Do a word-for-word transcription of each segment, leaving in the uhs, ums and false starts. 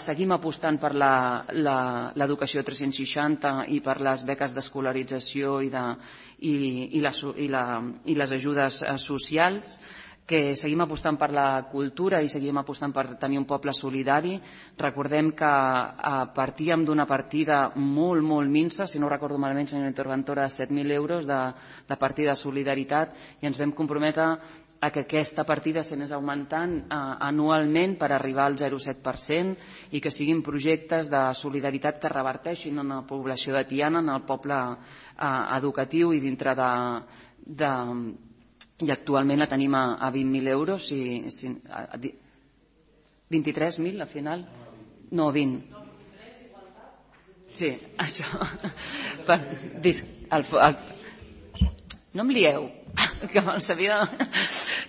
Seguim apostant per l'educació tres-cents seixanta i per les beques d'escolarització i, de, i, i, la, i, la, i les ajudes socials, que seguim apostant per la cultura i seguim apostant per tenir un poble solidari. Recordem que partíem d'una partida molt, molt minsa, si no recordo malament, senyora interventora, de set mil euros de, de partida de solidaritat, i ens vam comprometre a que aquesta partida s'anés augmentant anualment per arribar al zero coma set per cent i que siguin projectes de solidaritat que reverteixin en la població de Tiana, en el poble educatiu i dintre de... de i actualment la tenim a, a vint mil euros, si, si, a, a, vint-i-tres mil al final? No, vint. Sí, això. Per, dis, el, el, no em lieu, que me'n sabia...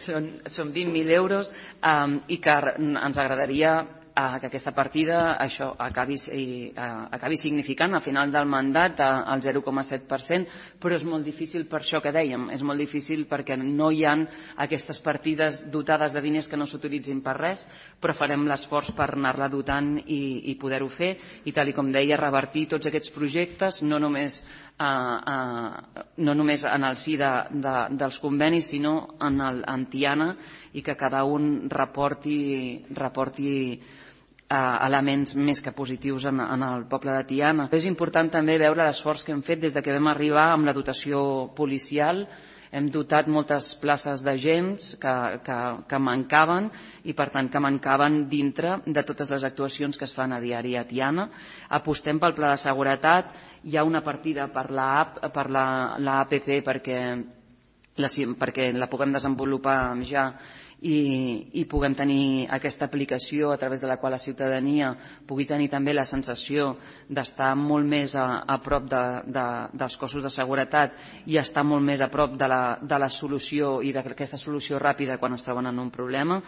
Són, són vint mil euros um, i que ens agradaria uh, que aquesta partida això acabi, uh, acabi significant al final del mandat uh, el zero coma set per cent, però és molt difícil per això que dèiem, és molt difícil perquè no hi ha aquestes partides dotades de diners que no s'utilitzin per res, però farem l'esforç per anar-la dotant i, i poder-ho fer i, tal i com deia, revertir tots aquests projectes, no només Uh, uh, no només en el si de, de, dels convenis, sinó en, el, en Tiana, i que cada un reporti, reporti uh, elements més que positius en, en el poble de Tiana. És important també veure l'esforç que hem fet des de que vam arribar amb la dotació policial. Hem dotat moltes places d'agents que, que, que mancaven i, per tant, que mancaven dintre de totes les actuacions que es fan a diari a Tiana. Apostem pel pla de seguretat. Hi ha una partida per la, per la, la A P P perquè la, perquè la puguem desenvolupar ja i, i puguem tenir aquesta aplicació a través de la qual la ciutadania pugui tenir també la sensació d'estar molt més a, a prop de, de, dels cossos de seguretat i estar molt més a prop de la, de la solució i d'aquesta solució ràpida quan es troben en un problema.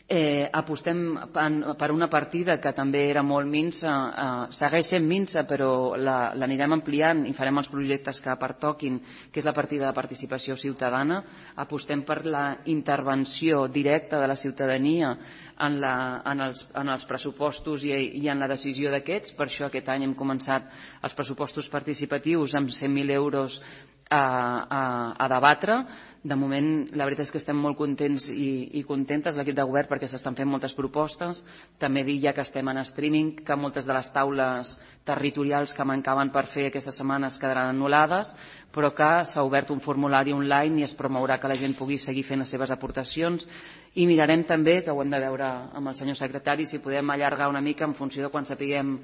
Eh, apostem per una partida que també era molt minsa, eh, segueix sent minsa, però l'anirem ampliant i farem els projectes que pertoquin, que és la partida de participació ciutadana. Apostem per la intervenció directa de la ciutadania en, la, en, els, en els pressupostos i, i en la decisió d'aquests. Per això aquest any hem començat els pressupostos participatius amb cent mil euros A, a, a debatre. De moment la veritat és que estem molt contents i, i contentes l'equip de govern perquè s'estan fent moltes propostes. També dir ja que estem en streaming que moltes de les taules territorials que mancaven per fer aquestes setmanes quedaran anul·lades, però que s'ha obert un formulari online i es promourà que la gent pugui seguir fent les seves aportacions. I mirarem també, que ho hem de veure amb el senyor secretari, si podem allargar una mica en funció de quan sapiguem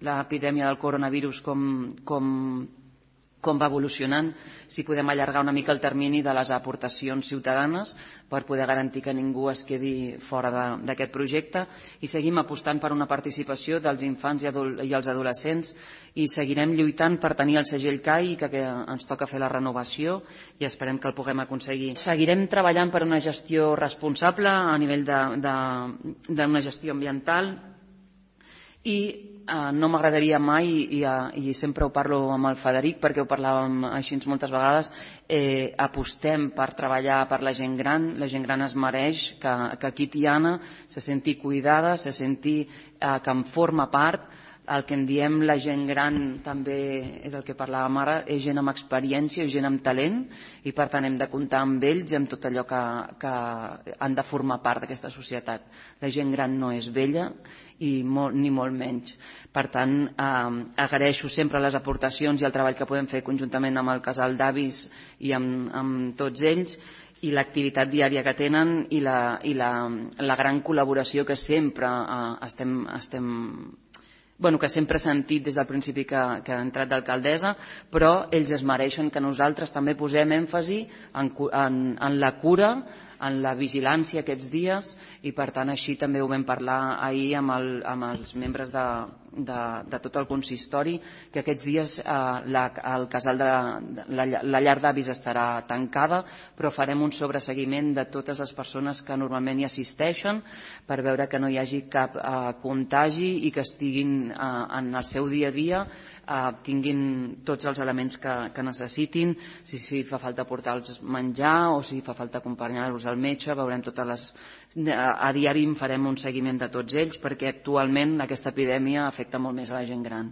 l'epidèmia del coronavirus com, com com va evolucionant, si podem allargar una mica el termini de les aportacions ciutadanes per poder garantir que ningú es quedi fora d'aquest projecte, i seguim apostant per una participació dels infants i, adol i els adolescents i seguirem lluitant per tenir el segell C A I, que, que ens toca fer la renovació i esperem que el puguem aconseguir. Seguirem treballant per una gestió responsable a nivell d'una gestió ambiental i Uh, no m'agradaria mai, i, i, i sempre ho parlo amb el Federic perquè ho parlàvem així moltes vegades, eh, apostem per treballar per la gent gran. La gent gran es mereix que, que aquí Tiana se senti cuidada, se senti eh, que en forma part. El que en diem la gent gran també és el que parlàvem ara, és gent amb experiència, és gent amb talent, i per tant hem de comptar amb ells i amb tot allò que, que han de formar part d'aquesta societat. La gent gran no és vella i molt, ni molt menys. Per tant, eh, agraeixo sempre les aportacions i el treball que podem fer conjuntament amb el casal d'avis i amb, amb tots ells, i l'activitat diària que tenen i la, i la, la gran col·laboració que sempre eh, estem, estem Bueno, que sempre he sentit des del principi que, que ha entrat d'alcaldessa, però ells es mereixen que nosaltres també posem èmfasi en, en, en la cura, en la vigilància aquests dies, i per tant així també ho vam parlar ahir amb, el, amb els membres de, de, de tot el consistori, que aquests dies eh, la, el casal de la, la llar d'avis estarà tancada, però farem un sobreseguiment de totes les persones que normalment hi assisteixen per veure que no hi hagi cap eh, contagi i que estiguin eh, en el seu dia a dia, eh, tinguin tots els elements que, que necessitin, si, si fa falta portar-los menjar o si fa falta acompanyar-los al metge, veurem totes les a diari en farem un seguiment de tots ells perquè actualment aquesta epidèmia afecta molt més a la gent gran.